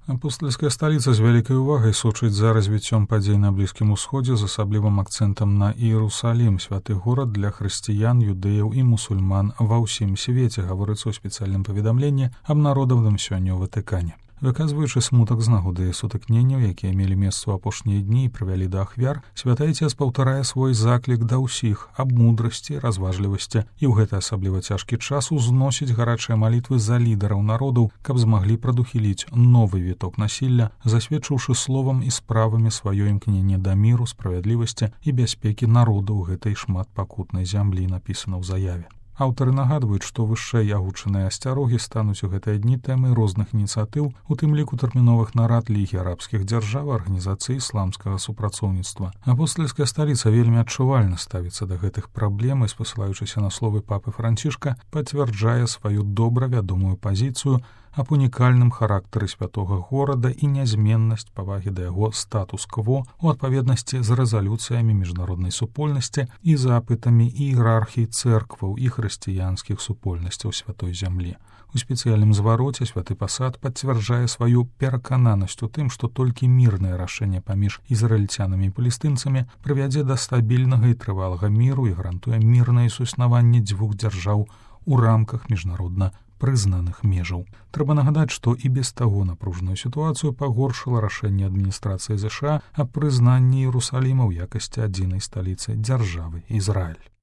Апостольская сталіца з вялікай увагай сочыць за развіццём падзей на Блізкім Усходзе з асаблівым акцэнтам на Іерусалім, святы горад для хрысціян, юдэяў і мусульман ва ўсім свеце, гаворыцца ў спецыяльным паведамленні, абнародаваным сёння ў Ватыкане. Выказваючы смутак з нагоды сутыкненняў, якія мелі месца ў апошнія дні і прывялі да ахвяр, святы Ацец паўтарае свой заклік да ўсіх аб мудрасці, разважлівасці і ў гэты асабліва цяжкі час узносіць гарачыя малітвы за лідараў народаў, каб змаглі прадухіліць новы віток насілля, засведчыўшы словам і справамі сваё імкненне да міру, справядлівасці і бяспекі народаў гэтай шматпакутнай зямлі, напісана ў заяве. Аўтары нагадваюць, што вышэй агучаныя асцярогі стануць у гэтыя дні тэмай розных ініцыятыў, у тым ліку тэрміновых нарад Лігі арабскіх дзяржаў, арганізацыі ісламскага супрацоўніцтва. Апостольская сталіца вельмі адчувальна ставіцца да гэтых праблем і, спасылаючыся на словы папы Францішка, пацвярджае сваю добра вядомую пазіцыю аб унікальным характары святога горада і нязменнасць павагі да яго статус-кво у адпаведнасці з рэзалюцыямі міжнароднай супольнасці і запытамі іерархій цэркваў і хрысціянскіх супольнасцяў святой зямлі. У спецыяльным звароце святы пасад пацвярджае сваю перакананасць у тым, што толькі мірнае рашэнне паміж ізраільцянамі і палестынцамі прывядзе да стабільнага і трывалага міру і гарантуе мірнае суіснаванне дзвюх дзяржаў у рамках міжнародна прызнаных межаў. Трэба нагадаць, што і без таго напружаную сітуацыю пагоршыла рашэнне адміністрацыі ЗША аб прызнанні Іерусаліма ў якасці адзінай сталіцы дзяржавы Ізраіль.